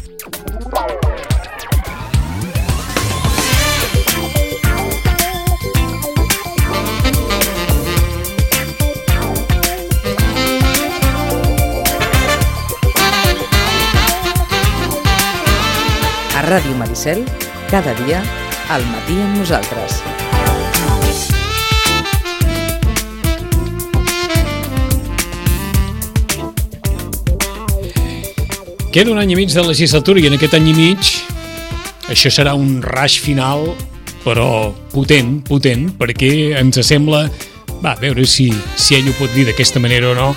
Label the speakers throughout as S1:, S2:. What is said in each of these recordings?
S1: A Ràdio Maricel, cada dia, al matí amb nosaltres.
S2: Queda un any i mig de legislatura i en aquest any i mig això serà un rush final, però potent, perquè ens sembla, a veure si ell ho pot dir d'aquesta manera o no,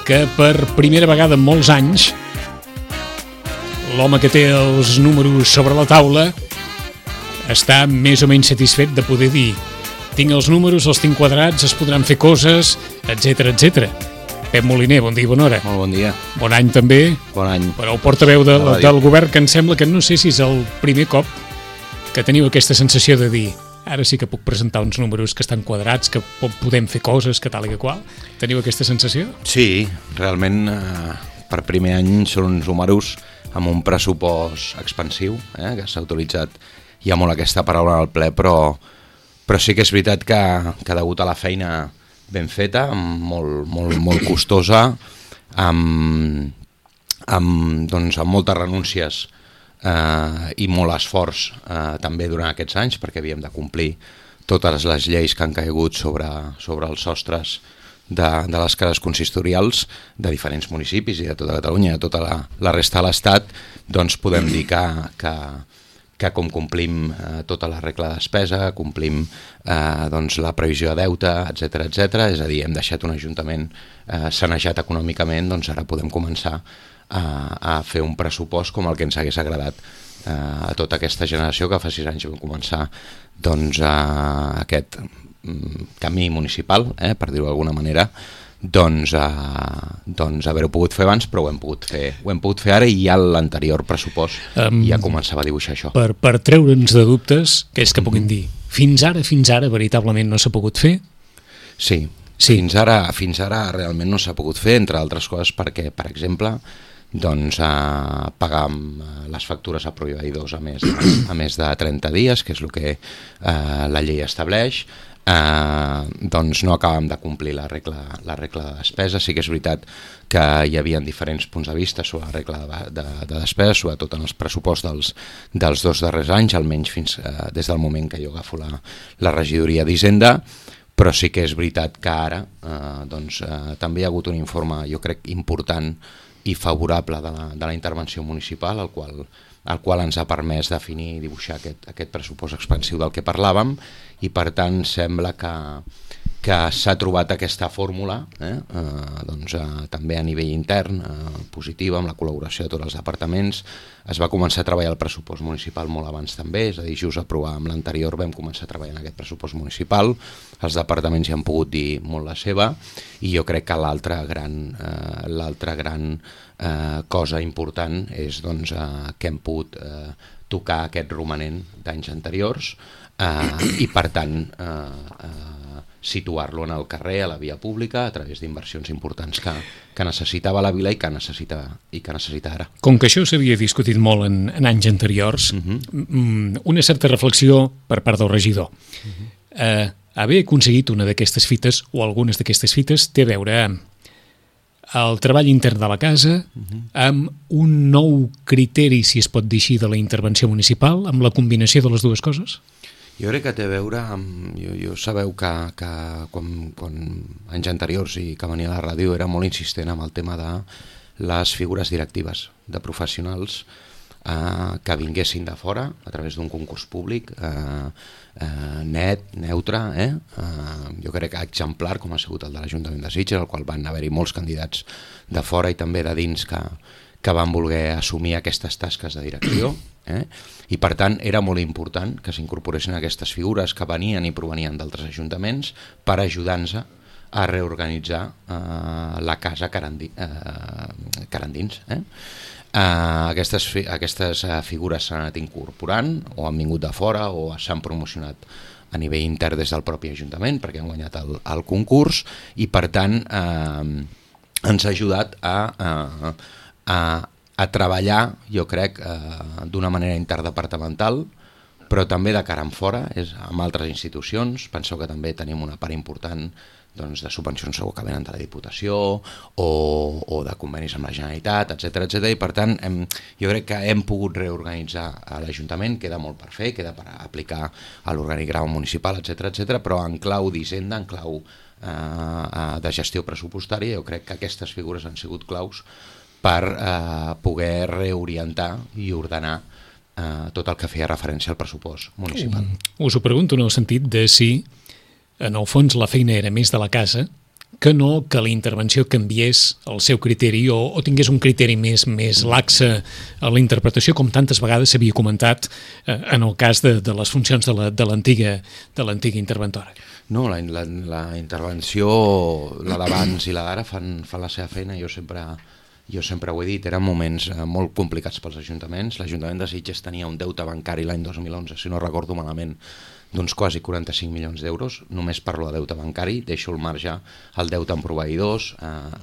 S2: que per primera vegada en molts anys l'home que té els números sobre la taula està més o menys satisfet de poder dir tinc els números, els tinc quadrats, es podran fer coses, etc. Pep Moliner, bon dia i bona hora.
S3: Molt bon dia.
S2: Bon any també.
S3: Bon any.
S2: Però el portaveu del govern, que em sembla que no sé si és el primer cop que teniu aquesta sensació de dir ara sí que puc presentar uns números que estan quadrats, que podem fer coses, que tal i que qual. Teniu aquesta sensació?
S3: Sí, realment per primer any són uns números amb un pressupost expansiu, que s'ha utilitzat ja molt aquesta paraula al ple, però sí que és veritat que degut a la feina ben feta, molt costosa, amb moltes renúncies i molt esforç també durant aquests anys, perquè havíem de complir totes les lleis que han caigut sobre els sostres de les cases consistorials de diferents municipis i de tota Catalunya i de tota la resta de l'Estat, doncs podem dir que com complim tota la regla de despesa, complim doncs la previsió de deute, etc, és a dir, hem deixat un ajuntament sanejat econòmicament, doncs ara podem començar a fer un pressupost com el que ens hagués agradat a tota aquesta generació que fa 6 anys vam començar doncs aquest camí municipal, per dir-ho d'alguna manera, doncs haver-ho pogut fer abans, però ho hem pogut fer ara i ja l'anterior pressupost ja començava a dibuixar això.
S2: Per treure'ns de dubtes, que és que puguin dir, fins ara veritablement no s'ha pogut fer?
S3: Sí. Fins ara realment no s'ha pogut fer, entre altres coses perquè, per exemple, doncs pagar les factures a proveïdors a més de 30 dies, que és el que la llei estableix. Doncs no acabem de complir la regla de despesa. Sí que és veritat que hi havia diferents punts de vista sobre la regla de despesa, sobretot en els pressupostos dels 2 darrers anys, almenys fins des del moment que jo agafo la regidoria d'Hisenda, però sí que és veritat que ara també hi ha hagut un informe, jo crec, important i favorable de la intervenció municipal, el qual ens ha permès definir i dibuixar aquest pressupost expansiu del que parlàvem, i per tant sembla que s'ha trobat aquesta fórmula també a nivell intern positiva, amb la col·laboració de tots els departaments. Es va començar a treballar el pressupost municipal molt abans també, és a dir, just aprovar amb l'anterior vam començar a treballar en aquest pressupost municipal, els departaments hi han pogut dir molt la seva, i jo crec que l'altra gran cosa important és que hem pogut tocar aquest romanent d'anys anteriors i per tant situar-lo en el carrer, a la via pública, a través d'inversions importants que necessitava la vila i que necessita ara.
S2: Com que això s'havia discutit molt en anys anteriors, una certa reflexió per part del regidor. Haver aconseguit una d'aquestes fites o algunes d'aquestes fites té a veure amb el treball intern de la casa, amb un nou criteri, si es pot dir així, de la intervenció municipal, amb la combinació de les dues coses?
S3: Jo crec que té a veure amb... Jo sabeu que quan anys anteriors i que venia a la ràdio era molt insistent amb el tema de les figures directives de professionals que vinguessin de fora a través d'un concurs públic net, neutre, jo crec que exemplar, com ha sigut el de l'Ajuntament de Sitges, al qual van haver-hi molts candidats de fora i també de dins que van voler assumir aquestes tasques de direcció, i per tant era molt important que s'incorporessin aquestes figures que venien i provenien d'altres ajuntaments per ajudar-nos a reorganitzar la casa carandins. Aquestes figures s'han anat incorporant o han vingut de fora o s'han promocionat a nivell intern des del propi Ajuntament perquè han guanyat el concurs i per tant ens ha ajudat a a treballar, jo crec, d'una manera interdepartamental, però també de cara en fora, amb altres institucions. Penseu que també tenim una part important de subvencions segur que venen de la Diputació o de convenis amb la Generalitat, etc. I per tant jo crec que hem pogut reorganitzar l'Ajuntament, queda molt per fer, queda per aplicar a l'organigrama municipal, etc. Però en clau d'Hisenda, en clau de gestió pressupostària, jo crec que aquestes figures han sigut claus per poder reorientar i ordenar tot el que feia referència al pressupost municipal.
S2: Us ho pregunto en el sentit de si en el fons la feina era més de la casa que no que la intervenció canviés el seu criteri o tingués un criteri més laxe a la interpretació, com tantes vegades s'havia comentat en el cas de les funcions de l'antiga interventora.
S3: No, la intervenció, la d'abans i la d'ara fan la seva feina. Jo sempre ho he dit, eren moments molt complicats pels ajuntaments. L'Ajuntament de Sitges tenia un deute bancari l'any 2011, si no recordo malament, d'uns quasi 45 milions d'euros. Només parlo de deute bancari, deixo al marge el deute amb proveïdors,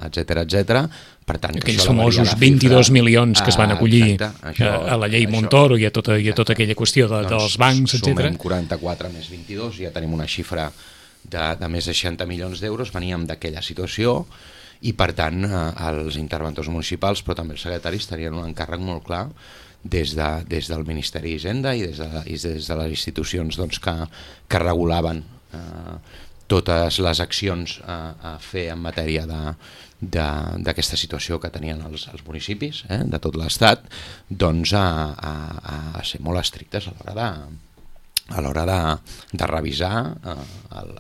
S3: etc. Per tant,
S2: aquells famosos 22 milions que es van acollir a la llei Montoro i a tota aquella qüestió dels bancs, etc.
S3: Sumem 44 més 22, ja tenim una xifra de més de 60 milions d'euros. Veníem d'aquella situació i, per tant, els interventors municipals, però també els secretaris, tenien un encàrrec molt clar des del Ministeri d'Hisenda i des de les institucions que regulaven totes les accions a fer en matèria d'aquesta situació que tenien els municipis de tot l'Estat, a ser molt estrictes a l'hora de revisar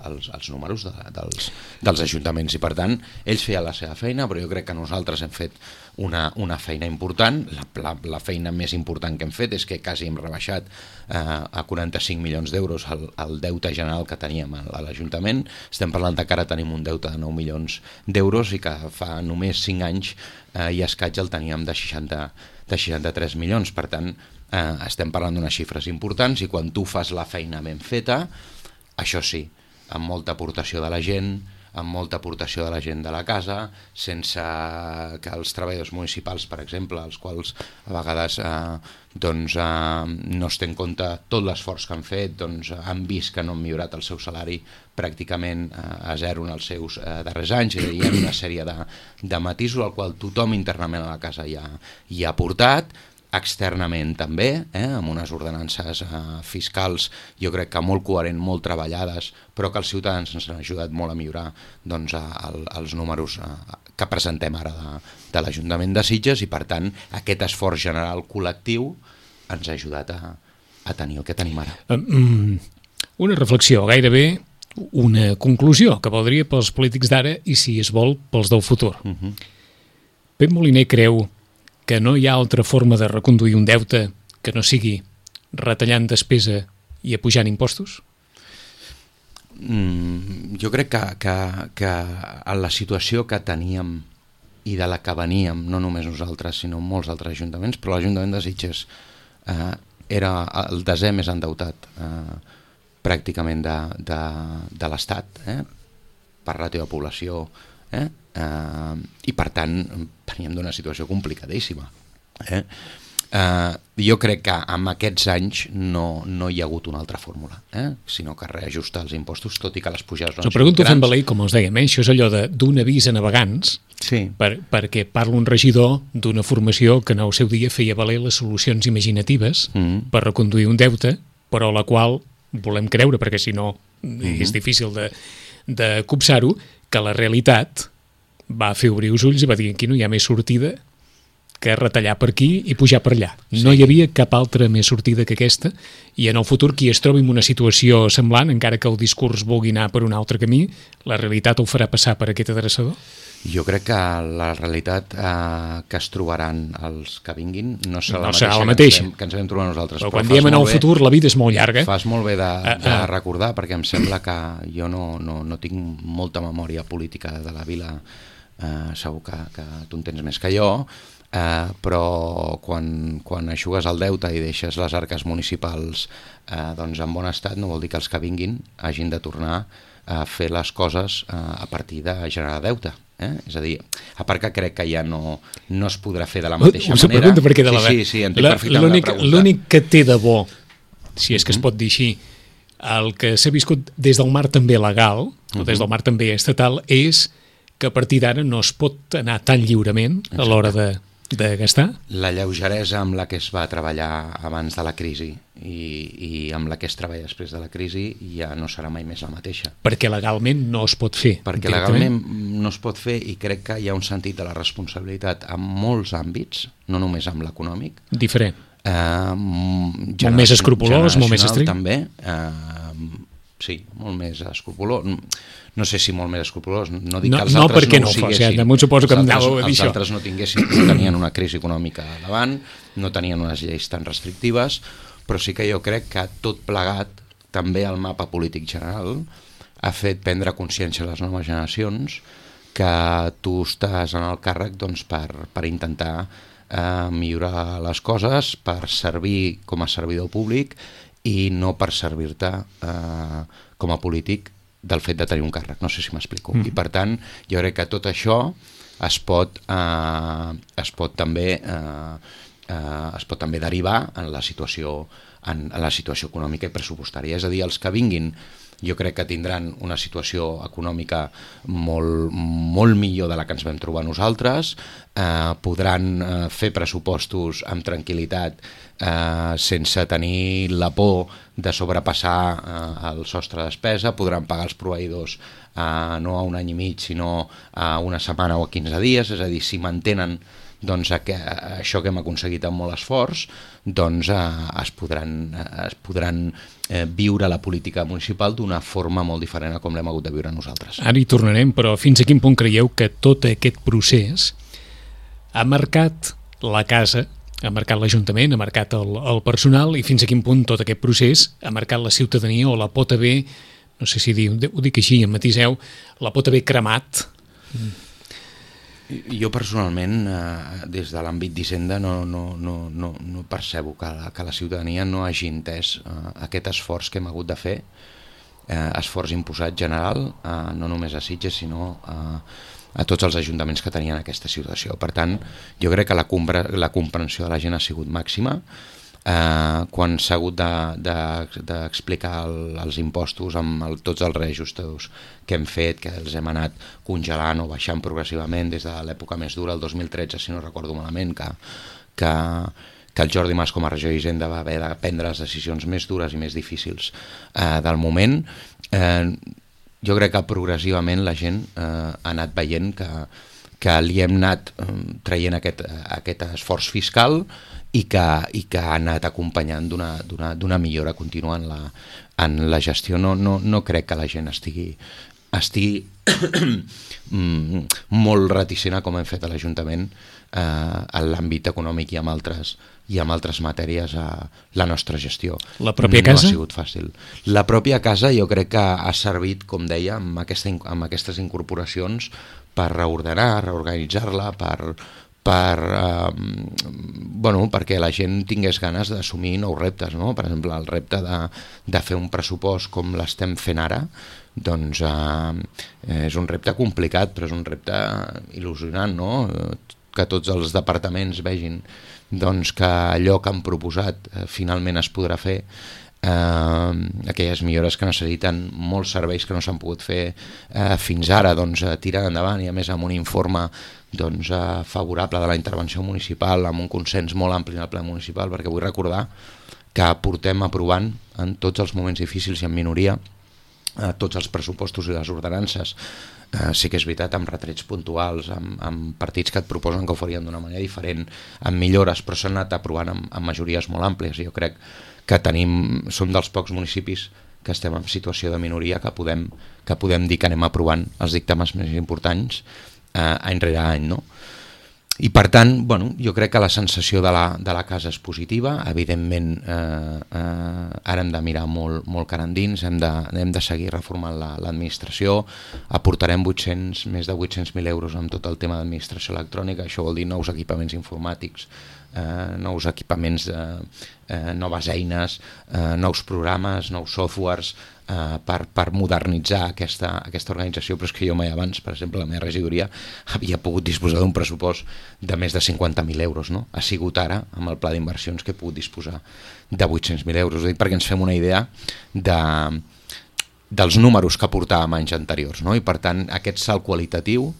S3: els números dels ajuntaments. I per tant, ells feien la seva feina, però jo crec que nosaltres hem fet una feina important. La feina més important que hem fet és que quasi hem rebaixat a 45 milions d'euros el deute general que teníem a l'Ajuntament. Estem parlant que ara tenim un deute de 9 milions d'euros i que fa només 5 anys i escaig el teníem de 63 milions. Per tant, estem parlant d'unes xifres importants i quan tu fas la feina ben feta, això sí, amb molta aportació de la gent, amb molta aportació de la gent de la casa, sense que els treballadors municipals, per exemple, els quals a vegades no es té en compte tot l'esforç que han fet, han vist que no han millorat el seu salari pràcticament a zero en els seus darrers anys. Hi ha una sèrie de matisos al qual tothom internament a la casa hi ha aportat, externament també, amb unes ordenances fiscals jo crec que molt coherent, molt treballades, però que els ciutadans ens han ajudat molt a millorar els números que presentem ara de l'Ajuntament de Sitges i per tant aquest esforç general col·lectiu ens ha ajudat a tenir el que tenim ara.
S2: Una reflexió, gairebé una conclusió que valdria pels polítics d'ara i si es vol pels del futur. Pep Moliner creu que no hi ha altra forma de reconduir un deute que no sigui retallant despesa i apujant impostos?
S3: Jo crec que en la situació que teníem i de la que veníem, no només nosaltres, sinó molts altres ajuntaments, però l'Ajuntament de Sitges era el desè més endeutat pràcticament de l'Estat, per ràtio de població, i per tant veníem d'una situació complicadíssima. Jo crec que en aquests anys no hi ha hagut una altra fórmula, sinó que reajustar els impostos, tot i que les pujades no han sigut grans.
S2: Ho pregunto fent valer, com us dèiem, això és allò d'un avís a navegants,
S3: sí.
S2: perquè parla un regidor d'una formació que en el seu dia feia valer les solucions imaginatives per reconduir un deute, però la qual volem creure, perquè si no és difícil de copsar-ho, que la realitat va fer obrir els ulls i va dir aquí no hi ha més sortida que retallar per aquí i pujar per allà. Sí. No hi havia cap altra més sortida que aquesta i en el futur qui es trobi en una situació semblant, encara que el discurs vulgui anar per un altre camí, la realitat el farà passar per aquest adreçador?
S3: Jo crec que la realitat que es trobaran els que vinguin no serà
S2: la mateixa
S3: que ens vam trobar nosaltres.
S2: Però quan diem en el futur la vida és molt llarga.
S3: Fas molt bé de recordar, perquè em sembla que jo no tinc molta memòria política de la vila, segur que tu en tens més que jo, però quan eixugues el deute i deixes les arques municipals en bon estat, no vol dir que els que vinguin hagin de tornar a fer les coses a partir de generar deute. És a dir, a part que crec que ja no es podrà fer de la mateixa
S2: manera. Us pregunto per què de la
S3: Sí, entenc perfectament la pregunta.
S2: L'únic que té de bo, si és que es pot dir així, el que s'ha viscut des del mar també legal, o des del mar també estatal, és que a partir d'ara no es pot anar tan lliurement a l'hora de gastar.
S3: La lleugeresa amb la que es va treballar abans de la crisi i amb la que es treballa després de la crisi ja no serà mai més la mateixa.
S2: Perquè legalment no es pot fer.
S3: Perquè legalment no es pot fer i crec que hi ha un sentit de la responsabilitat en molts àmbits, no només amb l'econòmic.
S2: Diferent.
S3: Molt
S2: més escrupolós, molt més estricte.
S3: També, sí, molt més escrupolós. No sé si molt més escrupolós, no dic que els altres no ho siguessin. Els altres no tenien una crisi econòmica davant, no tenien unes lleis tan restrictives, però sí que jo crec que tot plegat, també el mapa polític general, ha fet prendre consciència a les noves generacions que tu estàs en el càrrec per intentar millorar les coses, per servir com a servidor públic i no per servir-te com a polític del fet de tenir un càrrec, no sé si m'explico. I per tant, jo crec que tot això es pot també derivar en la situació econòmica i pressupostària. És a dir, els que vinguin jo crec que tindran una situació econòmica molt millor de la que ens vam trobar nosaltres, podran fer pressupostos amb tranquil·litat sense tenir la por de sobrepassar el sostre de despesa, podran pagar els proveïdors no a un any i mig sinó a una setmana o a 15 dies, és a dir, si mantenen això que hem aconseguit amb molt esforç, doncs es podran viure la política municipal d'una forma molt diferent a com l'hem hagut de viure nosaltres.
S2: Ara hi tornarem, però fins a quin punt creieu que tot aquest procés ha marcat la casa, ha marcat l'Ajuntament, ha marcat el personal, i fins a quin punt tot aquest procés ha marcat la ciutadania o la pot haver, no sé si ho dic així, em matiseu, la pot haver cremat?
S3: Jo personalment, des de l'àmbit d'Hisenda, no percebo que la ciutadania no hagi entès aquest esforç que hem hagut de fer, esforç imposat general, no només a Sitges, sinó a tots els ajuntaments que tenien aquesta situació. Per tant, jo crec que la comprensió de la gent ha sigut màxima. Quan s'ha hagut d'explicar els impostos amb tots els reajustos que hem fet, que els hem anat congelant o baixant progressivament des de l'època més dura, el 2013, si no recordo malament, que el Jordi Mas com a regidor d'Hisenda va haver de prendre les decisions més dures i més difícils del moment. Jo crec que progressivament la gent ha anat veient que li hem anat traient aquest esforç fiscal i que ha anat acompanyant d'una millora contínua en la gestió. No crec que la gent estigui molt reticent com hem fet a l'Ajuntament en l'àmbit econòmic i amb altres matèries a la nostra gestió.
S2: La pròpia casa?
S3: No ha sigut fàcil. La pròpia casa jo crec que ha servit, com deia, amb aquestes incorporacions per reorganitzar-la, perquè la gent tingués ganes d'assumir nous reptes, no? Per exemple, el repte de fer un pressupost com l'estem fent ara, doncs és un repte complicat, però és un repte il·lusionant, no? Que tots els departaments vegin doncs, que allò que han proposat finalment es podrà fer, aquelles millores que necessiten molts serveis que no s'han pogut fer fins ara, doncs tirar endavant, i a més amb un informe favorable de la intervenció municipal, amb un consens molt ampli en el ple municipal, perquè vull recordar que portem aprovant en tots els moments difícils i en minoria tots els pressupostos i les ordenances. Sí que és veritat, amb retrets puntuals, amb partits que et proposen que ho farien d'una manera diferent, amb millores, però s'han anat aprovant amb majories molt àmplies. Jo crec que som dels pocs municipis que estem en situació de minoria que podem dir que anem aprovant els dictàmens més importants any rere any, no? I per tant, jo crec que la sensació de la casa és positiva. Evidentment, ara hem de mirar molt cara endins, hem de seguir reformant l'administració, aportarem més de 800.000 euros amb tot el tema d'administració electrònica. Això vol dir nous equipaments informàtics, nous equipaments, noves eines, nous programes, nous softwares, per modernitzar aquesta organització, però és que jo mai abans, per exemple, la meva regidoria havia pogut disposar d'un pressupost de més de 50.000 euros, no? Ha sigut ara, amb el pla d'inversions, que he pogut disposar de 800.000 euros. Ho dic perquè ens fem una idea dels números que portàvem anys anteriors, no? I per tant aquest salt qualitatiu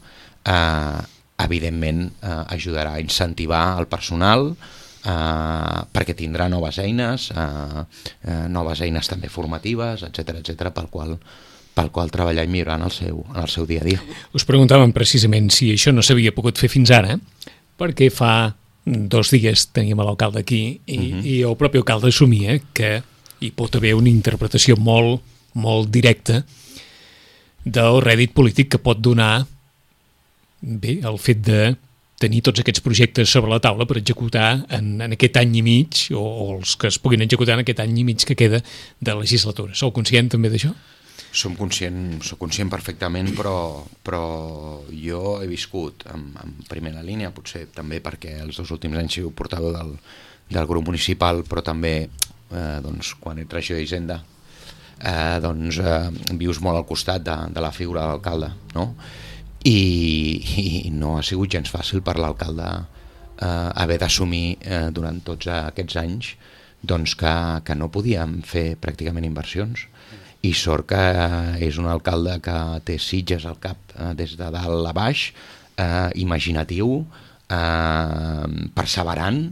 S3: evidentment ajudarà a incentivar el personal, perquè tindrà noves eines també formatives, etc pel qual treballar i millorar en el seu dia a dia.
S2: Us preguntàvem precisament si això no s'havia pogut fer fins ara, perquè fa 2 dies teníem l'alcalde aquí i el propi alcalde assumia que hi pot haver una interpretació molt directa del rèdit polític que pot donar el fet de tenir tots aquests projectes sobre la taula per executar en aquest any i mig, o els que es puguin executar en aquest any i mig que queda de legislatura. Sou conscient també d'això?
S3: Soc conscient perfectament, però jo he viscut en primera línia, potser també perquè els 2 últims anys he sigut portaveu del grup municipal, però també quan ets regidor d'Hisenda vius molt al costat de la figura de l'alcalde, no? I no ha sigut gens fàcil per l'alcalde haver d'assumir durant tots aquests anys que no podíem fer pràcticament inversions, i sort que és un alcalde que té Sitges al cap des de dalt a baix, imaginatiu, perseverant,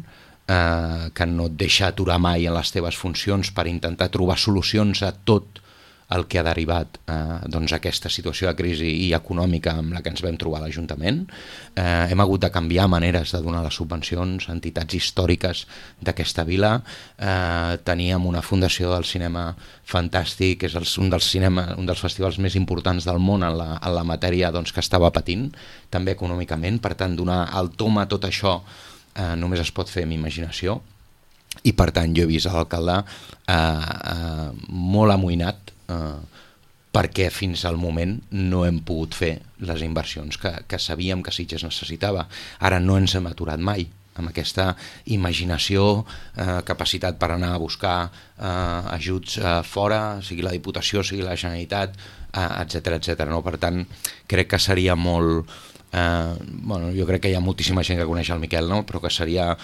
S3: que no et deixa aturar mai en les teves funcions per intentar trobar solucions a tot el que ha derivat aquesta situació de crisi i econòmica amb la que ens vam trobar a l'Ajuntament. Hem hagut de canviar maneres de donar les subvencions a entitats històriques d'aquesta vila. Teníem una fundació del cinema fantàstic, que és un dels festivals més importants del món en la matèria, que estava patint també econòmicament. Per tant, donar el tom a tot això només es pot fer amb imaginació, i per tant jo he vist l'alcalde molt amoïnat perquè fins al moment no hem pogut fer les inversions que sabíem que Sitges necessitava. Ara no ens hem aturat mai amb aquesta imaginació, capacitat per anar a buscar ajuts fora, sigui la Diputació, sigui la Generalitat, etc. No? Per tant, crec que seria molt... jo crec que hi ha moltíssima gent que coneix el Miquel, no? Però que seria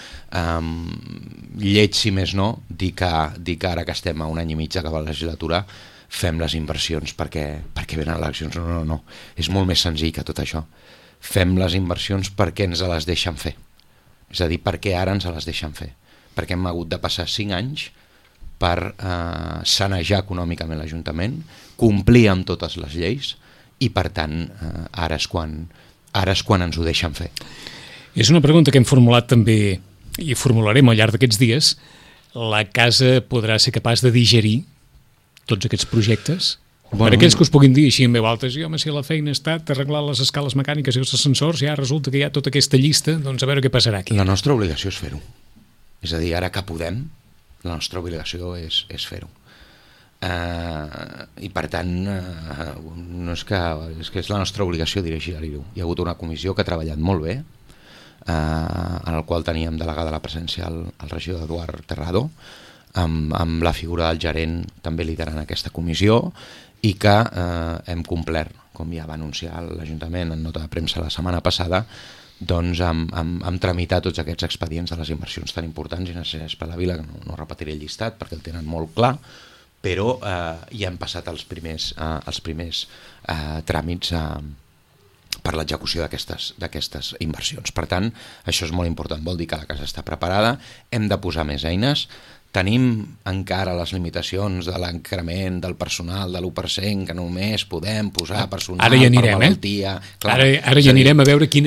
S3: lleig, si més no, dir que ara que estem a un any i mig d'acabar la legislatura fem les inversions perquè venen eleccions. No, és molt més senzill que tot això. Fem les inversions perquè ens les deixen fer, és a dir, perquè ara ens les deixen fer, perquè hem hagut de passar 5 anys per sanejar econòmicament l'Ajuntament, complir amb totes les lleis, i per tant ara és quan ens ho deixen fer.
S2: És una pregunta que hem formulat també i formularem al llarg d'aquests dies. La casa podrà ser capaç de digerir tots aquests projectes? Per aquells que us puguin dir així en veu alta, si la feina ha estat arreglar les escales mecàniques i els ascensors, ja resulta que hi ha tota aquesta llista, doncs a veure què passarà aquí.
S3: La nostra obligació és fer-ho. És a dir, ara que podem, la nostra obligació és fer-ho. I per tant no és que és la nostra obligació dirigir-ho. Hi ha hagut una comissió que ha treballat molt bé, en el qual teníem delegada la presència el regidor Eduard Terrado, amb la figura del gerent també liderant aquesta comissió, i que hem complert, com ja va anunciar l'Ajuntament en nota de premsa la setmana passada, amb tramitar tots aquests expedients de les inversions tan importants i necessàries per la vila, que no repetiré el llistat perquè el tenen molt clar, però ja hem passat els primers tràmits per l'execució d'aquestes inversions. Per tant, això és molt important, vol dir que la casa està preparada, hem de posar més eines. Tenim encara les limitacions de l'increment del personal de l'1%, que només podem posar personal per malaltia.
S2: Ara ja anirem a veure què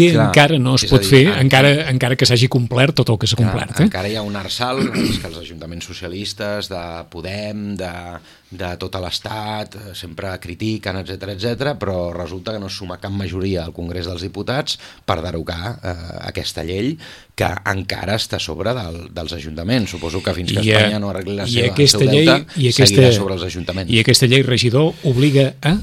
S2: encara no es pot fer, encara que s'hagi complert tot el que s'ha complert.
S3: Encara hi ha un arsal que els ajuntaments socialistes de Podem, de tot l'Estat, sempre critiquen, etc, però resulta que no es suma cap majoria al Congrés dels Diputats per derogar aquesta llei que encara està a sobre dels ajuntaments. Suposo que fins que Espanya no arregli el seu deute, seguirà sobre els ajuntaments.
S2: I aquesta llei, regidor, obliga a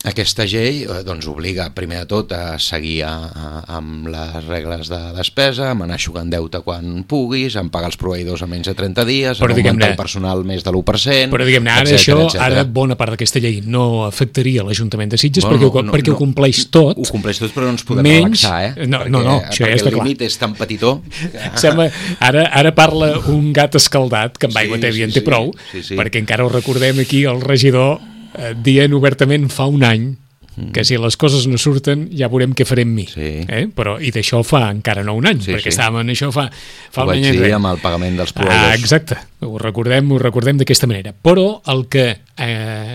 S3: Aquesta llei doncs, obliga primer de tot a seguir amb les regles de despesa, amb anar eixugant deute quan puguis, amb pagar els proveïdors a menys de 30 dies, amb augmentar el personal més de l'1%...
S2: Però diguem-ne, ara bona part d'aquesta llei no afectaria l'Ajuntament de Sitges perquè ho compleix tot.
S3: Ho compleix tot, però no ens podem relaxar,
S2: No, això ja està clar.
S3: Perquè el límit és tan petitó...
S2: Sembla, ara parla un gat escaldat, que amb aigua tèbia en té prou, perquè encara ho recordem aquí, el regidor dient obertament fa un any que si les coses no surten ja veurem què farem mi. Però, i d'això fa encara no un any, perquè estàvem en això fa un any.
S3: Ho vaig dir amb el pagament dels proveïdors.
S2: Exacte, ho recordem d'aquesta manera. Però el que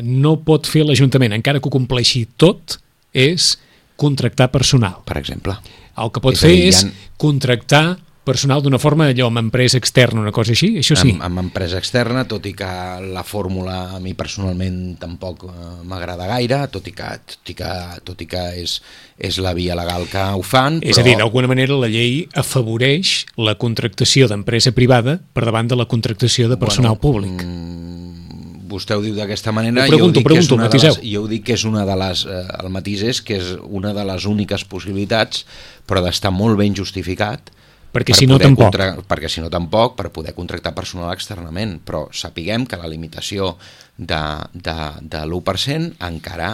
S2: no pot fer l'Ajuntament, encara que ho compleixi tot, és contractar personal.
S3: Per exemple.
S2: El que pot fer és contractar personal d'una forma, allò, amb empresa externa, una cosa així, això sí.
S3: Amb empresa externa, tot i que la fórmula a mi personalment tampoc m'agrada gaire, tot i que és la via legal que ho fan.
S2: És a dir, d'alguna manera la llei afavoreix la contractació d'empresa privada per davant de la contractació de personal públic.
S3: Vostè ho diu d'aquesta manera,
S2: jo ho dic
S3: que és una de les... El matís és que és una de les úniques possibilitats, però d'estar molt ben justificat,
S2: perquè si no tampoc,
S3: per poder contractar personal externament, però sapiguem que la limitació de l'1% encara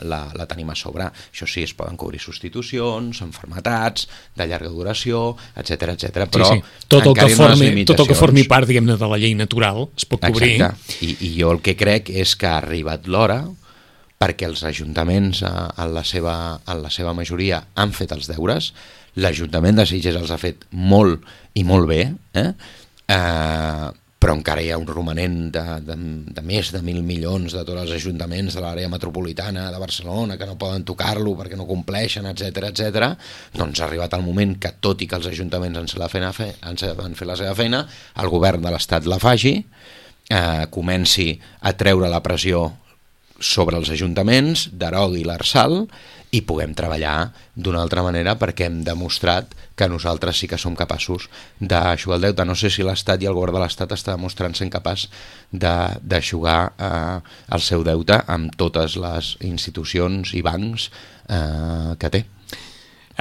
S3: la tenim a sobre. Això sí, es poden cobrir substitucions, malalties, de llarga duració, etc. però
S2: tot el que formi part, diguem-ne, de la llei natural es pot cobrir.
S3: Exacte, i jo el que crec és que ha arribat l'hora perquè els ajuntaments en la seva majoria han fet els deures. L'Ajuntament de Sitges els ha fet molt i molt bé, però encara hi ha un romanent de més de 1.000 milions de tots els ajuntaments de l'àrea metropolitana de Barcelona que no poden tocar-lo perquè no compleixen, etc. Doncs ha arribat el moment que, tot i que els ajuntaments han fet la seva feina, el govern de l'Estat la faci, comenci a treure la pressió sobre els ajuntaments, derogui l'Arsal i puguem treballar d'una altra manera, perquè hem demostrat que nosaltres sí que som capaços d'eixugar el deute. No sé si l'Estat i el govern de l'Estat està demostrant ser capaç d'eixugar el seu deute amb totes les institucions i bancs que té.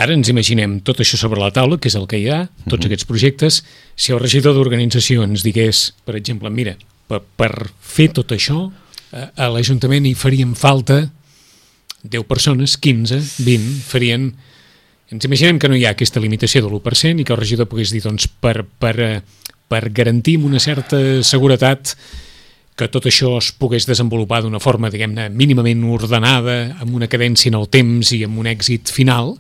S2: Ara ens imaginem tot això sobre la taula, que és el que hi ha, tots aquests projectes. Si el regidor d'organització ens digués, per exemple, mira, per fer tot això a l'Ajuntament hi farien falta 10 persones, 15, 20, farien... Ens imaginem que no hi ha aquesta limitació de l'1% i que el regidor pogués dir, doncs, per garantir amb una certa seguretat que tot això es pogués desenvolupar d'una forma, diguem-ne, mínimament ordenada, amb una cadència en el temps i amb un èxit final,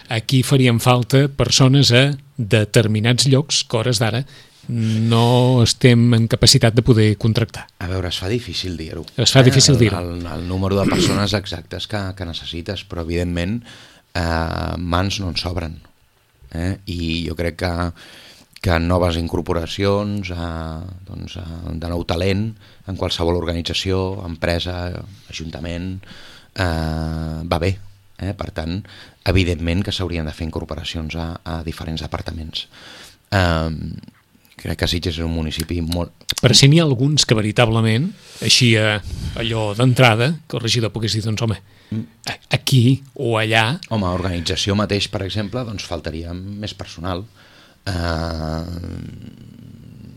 S2: aquí farien falta persones a determinats llocs que, a hores d'ara, no estem en capacitat de poder contractar.
S3: A veure, es fa difícil dir-ho.
S2: Es fa difícil dir-ho.
S3: El número de persones exactes que necessites, però evidentment mans no en sobren. I jo crec que noves incorporacions, de nou talent en qualsevol organització, empresa, ajuntament, va bé. Per tant, evidentment que s'haurien de fer incorporacions a diferents departaments. Crec que Sitges és un municipi molt...
S2: Però si n'hi ha alguns que veritablement, així allò d'entrada, que el regidor pogués dir, doncs home, aquí o allà...
S3: Home, organització mateix, per exemple, doncs faltaria més personal.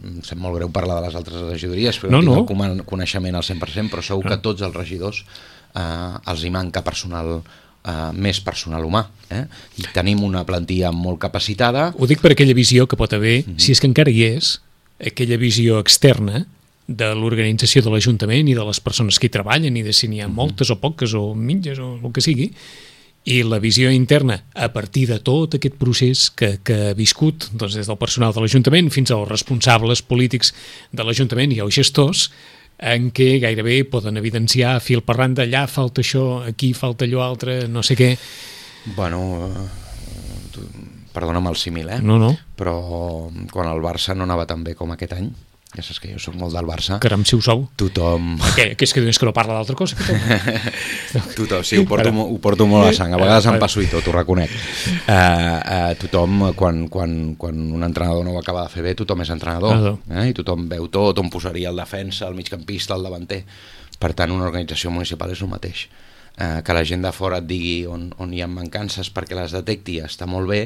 S3: Em sap molt greu parlar de les altres regidories, però no tinc el coneixement al 100%, però segur que tots els regidors els hi manca personal, més personal humà, i tenim una plantilla molt capacitada.
S2: Ho dic per aquella visió que pot haver, si és que encara hi és, aquella visió externa de l'organització de l'Ajuntament i de les persones que hi treballen i de si n'hi ha moltes o poques o mitges o el que sigui, i la visió interna a partir de tot aquest procés que ha viscut, doncs, des del personal de l'Ajuntament fins als responsables polítics de l'Ajuntament i als gestors, en què gairebé poden evidenciar fil per randa, allà falta això, aquí falta allò altre, no sé què.
S3: Bueno, perdona'm el símil,
S2: No.
S3: Però quan el Barça no anava tan bé com aquest any, ja saps que jo soc molt del Barça.
S2: Caram, si ho sou.
S3: Tothom...
S2: Que és que no parla d'altra cosa?
S3: Tothom, sí, ho porto molt a sang. A vegades em passo i tot, ho reconec. Tothom, quan un entrenador no ho acaba de fer bé, tothom és entrenador. I tothom veu tot, on posaria el defensa, el migcampista, el davanter. Per tant, una organització municipal és el mateix. que la gent de fora et digui on hi ha mancances perquè les detecti està molt bé,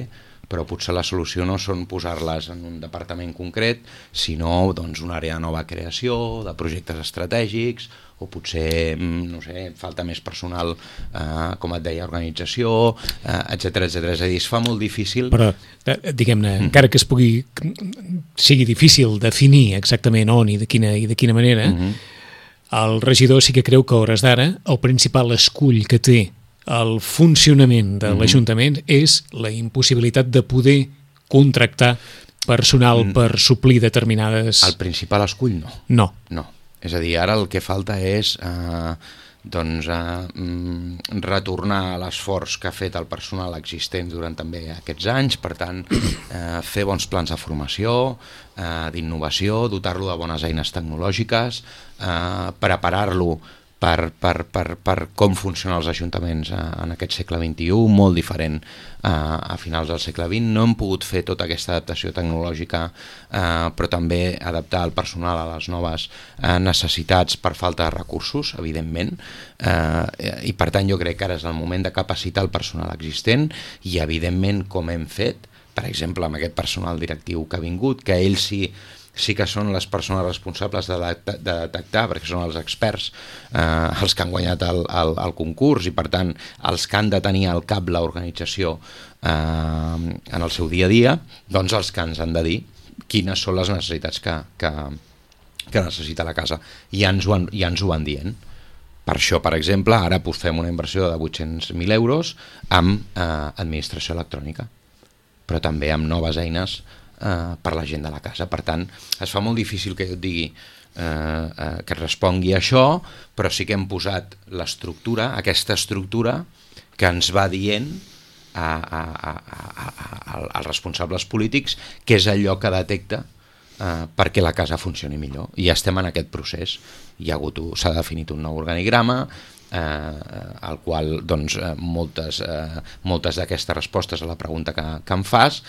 S3: però potser la solució no són posar-les en un departament concret, sinó doncs, una àrea de nova creació, de projectes estratègics, o potser, no sé, falta més personal, com et deia, organització, etcètera, etcètera. És a dir, es fa molt difícil...
S2: Però, diguem-ne, encara que sigui difícil definir exactament on i de quina manera, el regidor sí que creu que a hores d'ara el principal escull que té el funcionament de l'Ajuntament és la impossibilitat de poder contractar personal per suplir determinades...
S3: El principal escull no. No. És a dir, ara el que falta és retornar l'esforç que ha fet el personal existent durant també aquests anys, per tant, fer bons plans de formació, d'innovació, dotar-lo de bones eines tecnològiques, preparar-lo per com funcionen els ajuntaments en aquest segle XXI, molt diferent a finals del segle XX. No hem pogut fer tota aquesta adaptació tecnològica, però també adaptar el personal a les noves necessitats per falta de recursos, evidentment, i per tant jo crec que ara és el moment de capacitar el personal existent i evidentment com hem fet, per exemple amb aquest personal directiu que ha vingut, que ells sí que són les persones responsables de detectar, perquè són els experts els que han guanyat el concurs i per tant els que han de tenir al cap l'organització en el seu dia a dia, doncs els que ens han de dir quines són les necessitats que necessita la casa i ja ens ho van dient. Per això, per exemple, ara fem una inversió de 800.000 euros amb administració electrònica, però també amb noves eines per la gent de la casa. Per tant, es fa molt difícil que jo et digui que respongui a això, però sí que hem posat l'estructura, aquesta estructura que ens va dient als responsables polítics que és allò que detecta perquè la casa funcioni millor. I ja estem en aquest procés. S'ha definit un nou organigrama, al qual doncs, moltes d'aquestes respostes a la pregunta que em fas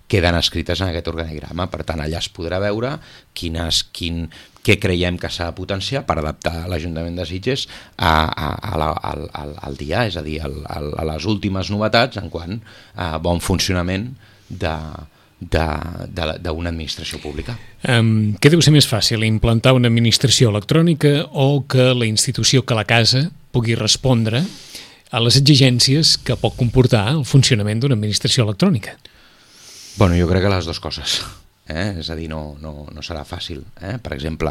S3: queden escrites en aquest organigrama. Per tant, allà es podrà veure què creiem que s'ha de potenciar per adaptar l'Ajuntament de Sitges al dia, és a dir, a les últimes novetats en quant a bon funcionament d'una administració pública.
S2: Què deu ser més fàcil, implantar una administració electrònica o que la institució, que la casa, pugui respondre a les exigències que pot comportar el funcionament d'una administració electrònica?
S3: Bueno, jo crec que les dues coses. És a dir, no serà fàcil. Per exemple,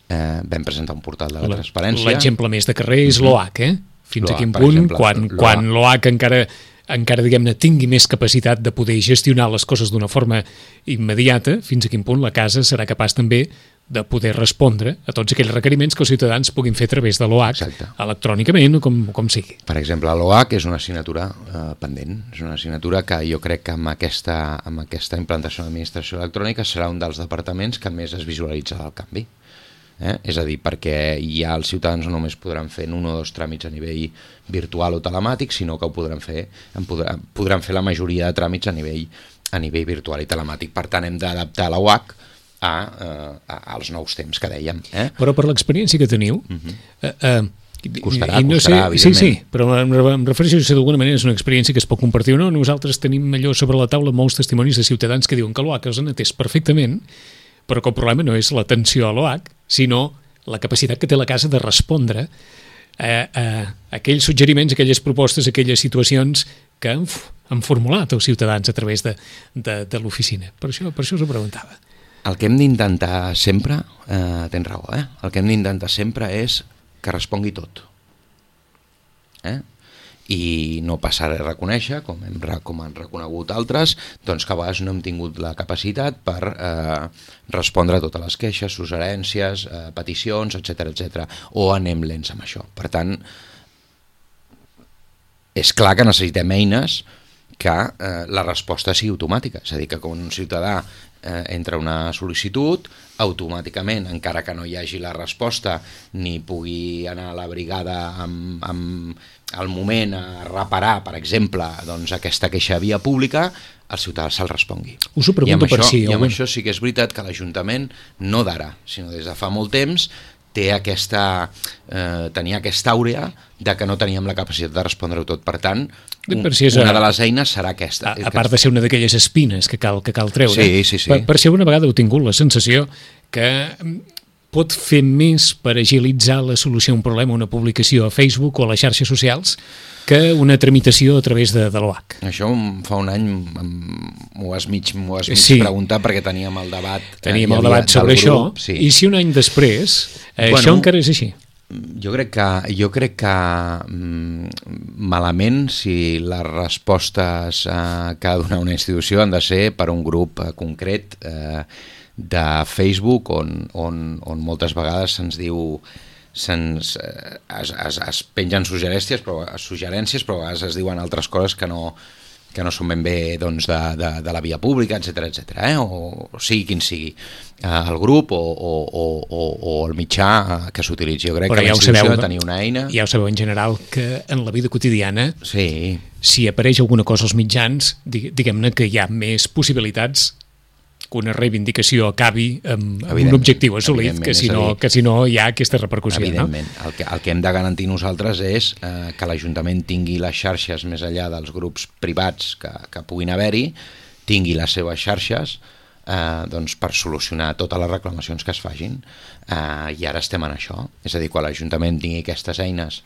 S3: vam presentar un portal de la transparència.
S2: L'exemple més de carrer és l'OAC, Fins a quin punt, quan l'OAC encara diguem-ne, tingui més capacitat de poder gestionar les coses d'una forma immediata, fins a quin punt la casa serà capaç també de poder respondre a tots aquells requeriments que els ciutadans puguin fer a través de l'OAC, electrònicament o com sigui.
S3: Per exemple, l'OAC és una assignatura pendent, és una assignatura que jo crec que amb aquesta implantació de l'administració electrònica serà un dels departaments que més es visualitzarà el canvi. És a dir, perquè ja els ciutadans no només podran fer un o dos tràmits a nivell virtual o telemàtic, sinó que podran fer la majoria de tràmits a nivell virtual i telemàtic. Per tant, hem d'adaptar la UAC als nous temps que dèiem.
S2: Però per l'experiència que teniu...
S3: Costarà, evidentment.
S2: Sí, però em refereixo si d'alguna manera és una experiència que es pot compartir o no. Nosaltres tenim allò sobre la taula molts testimonis de ciutadans que diuen que l'OAC els han atès perfectament, però que el problema no és l'atenció a l'OAC, sinó la capacitat que té la casa de respondre a aquells suggeriments, aquelles propostes, aquelles situacions que han formulat els ciutadans a través de l'oficina. Per això us ho preguntava.
S3: El que hem d'intentar sempre, tens raó, el que hem d'intentar sempre és que respongui tot. I no passar a reconèixer, com han reconegut altres, doncs que a vegades no hem tingut la capacitat per respondre a totes les queixes, suggerències, peticions, etcètera, o anem lents amb això. Per tant, és clar que necessitem eines que la resposta sigui automàtica, és a dir, que quan un ciutadà entra una sol·licitud, automàticament, encara que no hi hagi la resposta, ni pugui anar a la brigada al moment a reparar, per exemple, doncs, aquesta queixa via pública, el ciutadà se'l respongui.
S2: Us ho pregunto per si...
S3: I amb això sí que és veritat que l'Ajuntament, no d'ara, sinó des de fa molt temps, tenia aquesta àurea de que no teníem la capacitat de respondre-ho tot. Per tant,
S2: si
S3: una de les eines serà aquesta.
S2: A part de ser una d'aquelles espines que cal treure,
S3: sí.
S2: per si alguna vegada heu tingut la sensació que pot fer més per agilitzar la solució a un problema, una publicació a Facebook o a les xarxes socials, que una tramitació a través de l'OAC.
S3: Això fa un any m'ho has mig preguntat perquè teníem el debat.
S2: Teníem el debat sobre això, i si un any després això encara és així?
S3: Jo crec que malament si les respostes que ha de donar una institució han de ser per un grup concret de Facebook on moltes vegades se'ns diu es pengen suggerències però a vegades es diuen altres coses que no són ben bé doncs, de la via pública, etc., o sigui quin sigui el grup o el mitjà que s'utilitzi. Jo crec que la institució ha de tenir una eina...
S2: Ja ho sabeu en general que en la vida quotidiana,
S3: sí,
S2: si apareix alguna cosa als mitjans, diguem-ne que hi ha més possibilitats que una reivindicació acabi amb un objectiu assolit, que si no hi ha aquesta repercussió.
S3: Evidentment. No? El que hem de garantir nosaltres és que l'Ajuntament tingui les xarxes més enllà dels grups privats que puguin haver-hi, tingui les seves xarxes doncs per solucionar totes les reclamacions que es facin, i ara estem en això. És a dir, quan l'Ajuntament tingui aquestes eines,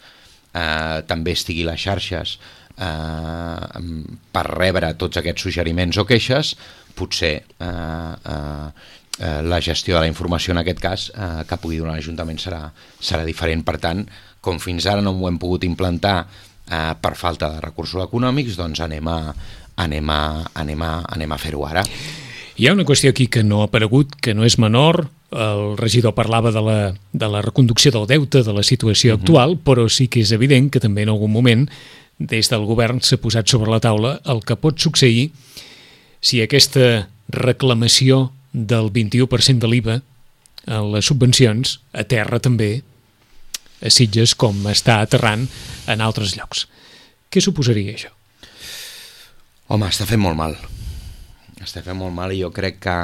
S3: també estigui les xarxes per rebre tots aquests suggeriments o queixes, potser la gestió de la informació en aquest cas que pugui donar l'Ajuntament serà diferent. Per tant, com fins ara no ho hem pogut implantar per falta de recursos econòmics, doncs anem a fer-ho ara.
S2: Hi ha una qüestió aquí que no ha aparegut, que no és menor. El regidor parlava de la reconducció del deute, de la situació actual, però sí que és evident que també en algun moment des del govern s'ha posat sobre la taula el que pot succeir si aquesta reclamació del 21% de l'IVA en les subvencions aterra també a Sitges com està aterrant en altres llocs. Què suposaria això?
S3: Home, està fent molt mal. Està fent molt mal i jo crec que...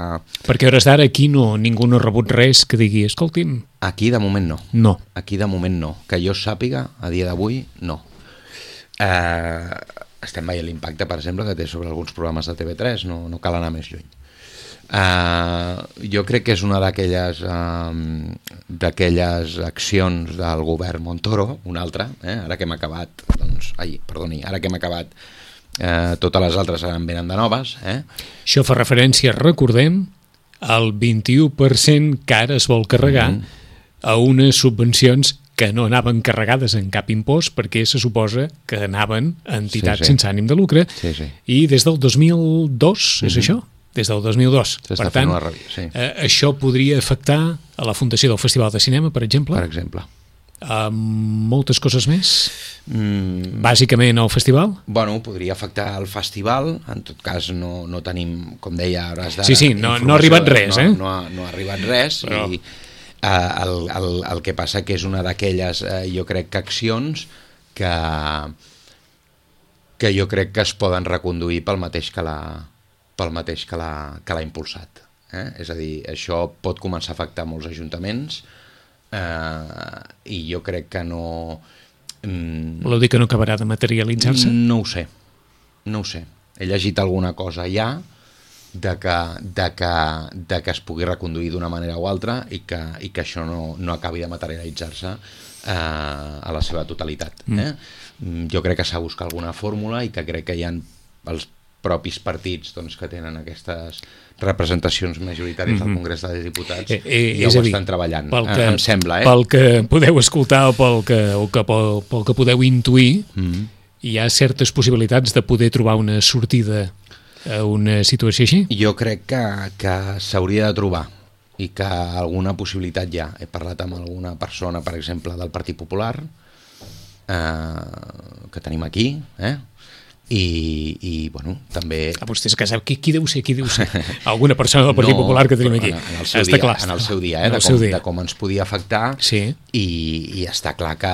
S2: Perquè a hores d'ara aquí ningú no ha rebut res que digui, escolti'm...
S3: Aquí de moment no.
S2: No.
S3: Aquí de moment no. Que jo sàpiga, a dia d'avui, no. Estem veient l'impacte, per exemple, que té sobre alguns programes de TV3, no cal anar més lluny. Jo crec que és una d'aquelles accions del govern Montoro, una altra, ara que hem acabat, totes les altres en venen de noves.
S2: Això fa referència, recordem, al 21% que ara es vol carregar a unes subvencions que no anaven carregades en cap impost perquè se suposa que anaven a entitats sense ànim de lucre, i des del 2002, és això? Des del 2002. Per tant, això podria afectar a la fundació del Festival de Cinema, per exemple?
S3: Per exemple.
S2: Moltes coses més? Bàsicament al festival?
S3: Bueno, podria afectar el festival, en tot cas no tenim, com deia, hores d'ara...
S2: Sí, no ha arribat res,
S3: No ha arribat res, però... i el que passa que és una d'aquelles, jo crec que accions que jo crec que es poden reconduir pel mateix que l'ha impulsat. És a dir, això pot començar a afectar molts ajuntaments i jo crec que no...
S2: Voleu dir que no acabarà de materialitzar-se?
S3: No ho sé. He llegit alguna cosa ja de que es pugui reconduir d'una manera o altra i que això no acabi de materialitzar-se a la seva totalitat. Jo crec que s'ha de buscar alguna fórmula i que crec que hi ha els propis partits doncs, que tenen aquestes representacions majoritàries al Congrés dels Diputats ja ho estan treballant, em sembla.
S2: Pel que podeu escoltar o pel que podeu intuir, hi ha certes possibilitats de poder trobar una sortida a una situació així?
S3: Jo crec que s'hauria de trobar i que alguna possibilitat hi ha. He parlat amb alguna persona, per exemple, del Partit Popular, que tenim aquí, i bueno, també...
S2: Vostès que sap qui deu ser? Alguna persona del Partit Popular que tenim aquí.
S3: En el seu dia, de com ens podia afectar, i està clar que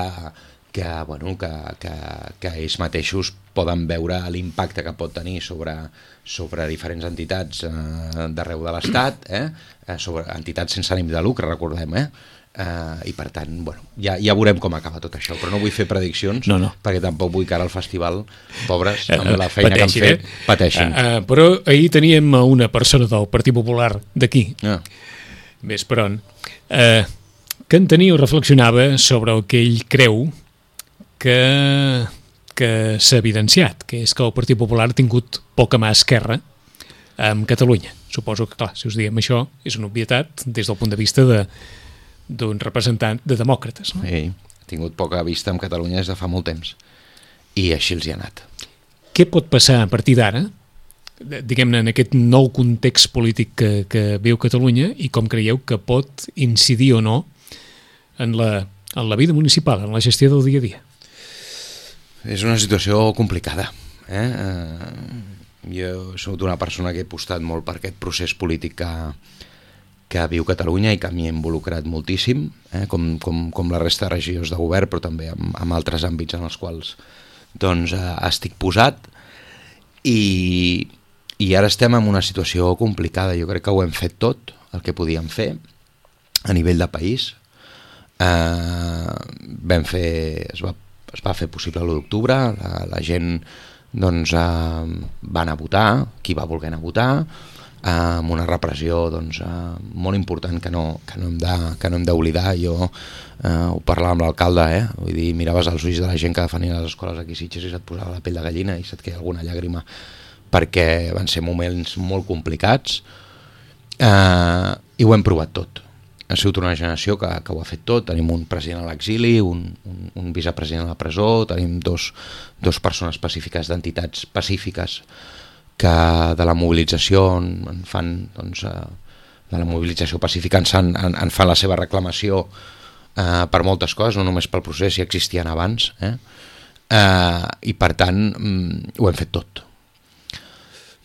S3: ells mateixos poden veure l'impacte que pot tenir sobre diferents entitats d'arreu de l'Estat, sobre entitats sense ànim de lucre, recordem, i per tant, bueno, ja veurem com acaba tot això, però no vull fer prediccions perquè tampoc vull que ara al festival, pobres, amb la feina que han fet, pateixin.
S2: Però ahir teníem una persona del Partit Popular d'aquí, més per on, que en tenia o reflexionava sobre el que ell creu que s'ha evidenciat, que és que el Partit Popular ha tingut poca mà esquerra amb Catalunya. Suposo que, clar, si us diem això, és una obvietat des del punt de vista d'un representant de demòcrates. No?
S3: Sí, ha tingut poca vista amb Catalunya des de fa molt temps i així els hi ha anat.
S2: Què pot passar a partir d'ara, diguem-ne, en aquest nou context polític que viu Catalunya i com creieu que pot incidir o no en la vida municipal, en la gestió del dia a dia?
S3: És una situació complicada. Jo soc una persona que he apostat molt per aquest procés polític que viu Catalunya i que m'hi he involucrat moltíssim, com la resta de regidors de govern, però també en altres àmbits en els quals doncs, estic posat, i ara estem en una situació complicada. Jo crec que ho hem fet tot el que podíem fer a nivell de país. Es va fer possible l'1 d'octubre, la gent doncs, va anar a votar, qui va voler anar a votar, amb una repressió doncs, molt important que no hem d'oblidar. Jo ho parlava amb l'alcalde, vull dir, miraves als ulls de la gent que defenia les escoles aquí a Sitges i se't posava la pell de gallina i se't queia alguna llàgrima, perquè van ser moments molt complicats, i ho hem provat tot. Ha sigut una generació que ho ha fet tot. Tenim un president a l'exili, un vicepresident a la presó, tenim dos persones pacífiques d'entitats pacífiques que de la mobilització en fan, doncs, de la mobilització pacífica en fan la seva reclamació per moltes coses, no només pel procés, si existien abans, i per tant ho hem fet tot.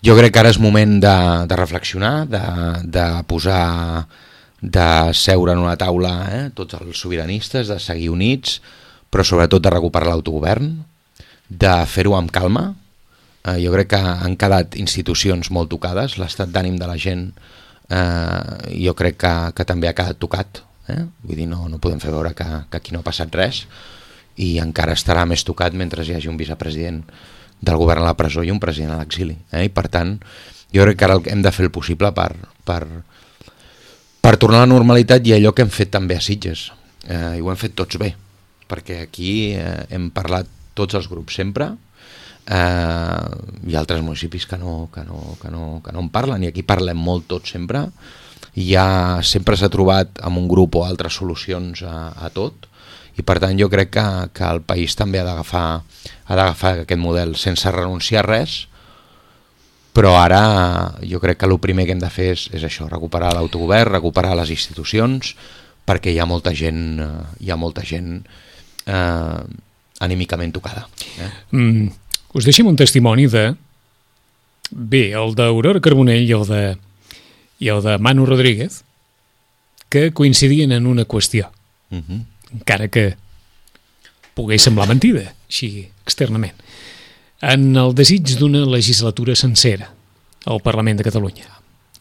S3: Jo crec que ara és moment de reflexionar, de seure en una taula, tots els sobiranistes, de seguir units, però sobretot de recuperar l'autogovern, de fer-ho amb calma. Jo crec que han quedat institucions molt tocades, l'estat d'ànim de la gent jo crec que també ha quedat tocat, vull dir, no podem fer veure que aquí no ha passat res, i encara estarà més tocat mentre hi hagi un vicepresident del govern a la presó i un president a l'exili, i per tant jo crec que ara hem de fer el possible per tornar a la normalitat i allò que hem fet també a Sitges, i ho hem fet tots bé, perquè aquí hem parlat tots els grups sempre. Hi ha altres municipis que no en parlen, i aquí parlem molt tots sempre. Sempre s'ha trobat amb un grup o altres solucions a tot, i per tant jo crec que el país també ha d'agafar aquest model sense renunciar a res, però ara jo crec que el primer que hem de fer és això, recuperar l'autogovern, recuperar les institucions, perquè hi ha molta gent anímicament tocada.
S2: Us deixem un testimoni el d'Aurora Carbonell i el de Manu Rodríguez, que coincidien en una qüestió, encara que pogués semblar mentida, així externament, en el desig d'una legislatura sencera al Parlament de Catalunya,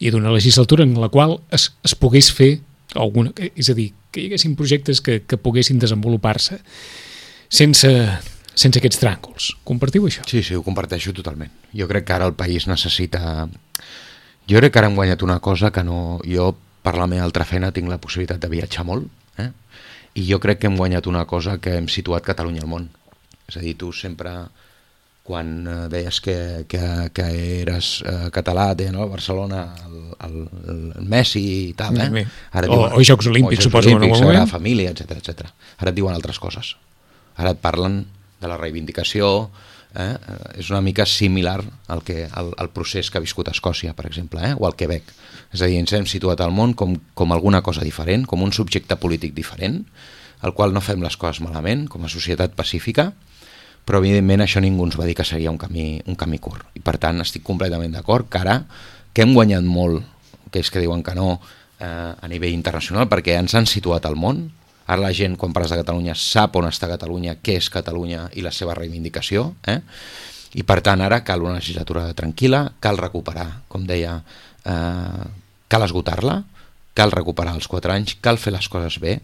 S2: i d'una legislatura en la qual es pogués fer alguna, és a dir, que hi haguessin projectes que poguessin desenvolupar-se sense aquests tràngols. Compartiu això?
S3: Sí, ho comparteixo totalment. Jo crec que ara el país necessita... Jo crec que ara hem guanyat una cosa que no... Jo, per la meva altra feina, tinc la possibilitat de viatjar molt, i jo crec que hem guanyat una cosa, que hem situat Catalunya al món. És a dir, tu sempre, quan deies que eres català, deien, no? Barcelona, el Messi i tal, Ara
S2: o Jocs Olímpics, suposo.
S3: Sagrada Família, etc. Ara et diuen altres coses. Ara et parlen de la reivindicació, és una mica similar al procés que ha viscut Escòcia, per exemple, o al Quebec. És a dir, ens hem situat al món com alguna cosa diferent, com un subjecte polític diferent, al qual no fem les coses malament, com a societat pacífica, però evidentment això ningú ens va dir que seria un camí curt. I per tant estic completament d'acord que ara, que hem guanyat molt, aquells que diuen que no, a nivell internacional, perquè ens han situat al món. Ara la gent, quan parles de Catalunya, sap on està Catalunya, què és Catalunya i la seva reivindicació, i per tant ara cal una legislatura tranquil·la, cal recuperar, com deia, cal esgotar-la, cal recuperar els 4 anys, cal fer les coses bé.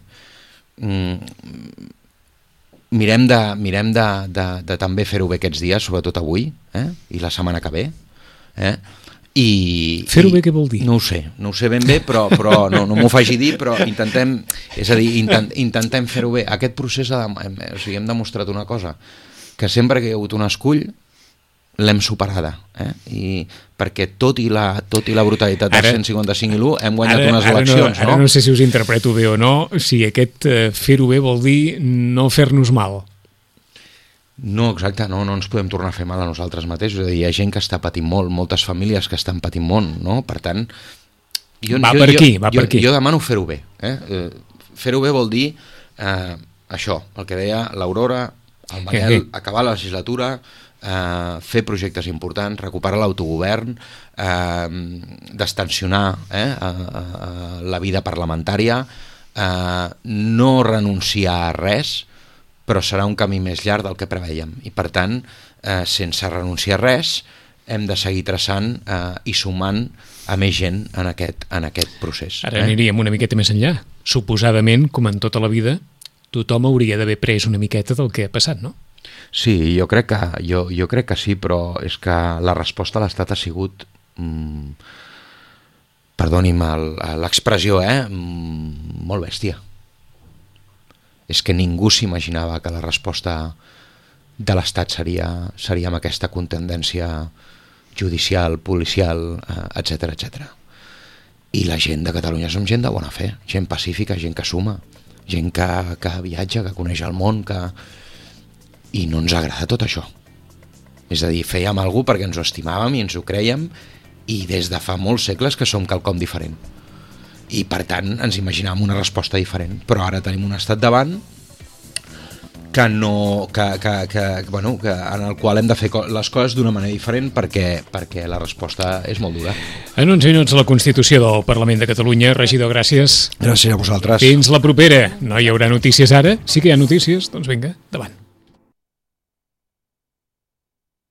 S3: Mirem de també fer-ho bé aquests dies, sobretot avui, i la setmana que ve.
S2: Fer-ho bé què vol dir?
S3: No ho sé ben bé, però no m'ho faci dir, però intentem fer-ho bé. Aquest procés, hem demostrat una cosa, que sempre que hi ha hagut un escull l'hem superada, i perquè tot i la brutalitat del 155 i l'1 hem guanyat unes eleccions.
S2: Ara no sé si us interpreto bé o no, si aquest fer-ho bé vol dir no fer-nos mal.
S3: No, exacte, no ens podem tornar a fer mal a nosaltres mateixos. És a dir, hi ha gent que està patint molt, moltes famílies que estan patint molt, no? Per tant,
S2: va per aquí.
S3: Jo demano fer-ho bé. Fer-ho bé vol dir això, el que deia l'Aurora, el Manel, acabar la legislatura, fer projectes importants, recuperar l'autogovern, destensionar la vida parlamentària, no renunciar a res, però serà un camí més llarg del que preveiem. I per tant, sense renunciar a res, hem de seguir traçant i sumant a més gent en aquest procés.
S2: Ara aniríem una miqueta més enllà. Suposadament, com en tota la vida, tothom hauria d'haver pres una miqueta del que ha passat, no?
S3: Sí, jo crec que sí, però és que la resposta a l'Estat ha sigut, perdoni'm l'expressió, molt bèstia. És que ningú s'imaginava que la resposta de l'Estat seria amb aquesta contendència judicial, policial, etc. I la gent de Catalunya som gent de bona fe, gent pacífica, gent que suma, gent que viatja, que coneix el món, i no ens agrada tot això. És a dir, fèiem alguna cosa perquè ens ho estimàvem i ens ho crèiem, i des de fa molts segles que som quelcom diferent. I per tant ens imaginàvem una resposta diferent, però ara tenim un estat davant que en el qual hem de fer les coses d'una manera diferent perquè la resposta és molt dura.
S2: En uns minuts la Constitució del Parlament de Catalunya. Regidor, gràcies.
S3: Gràcies a vosaltres.
S2: Fins la propera. No hi haurà notícies ara? Sí que hi ha notícies? Doncs vinga, endavant.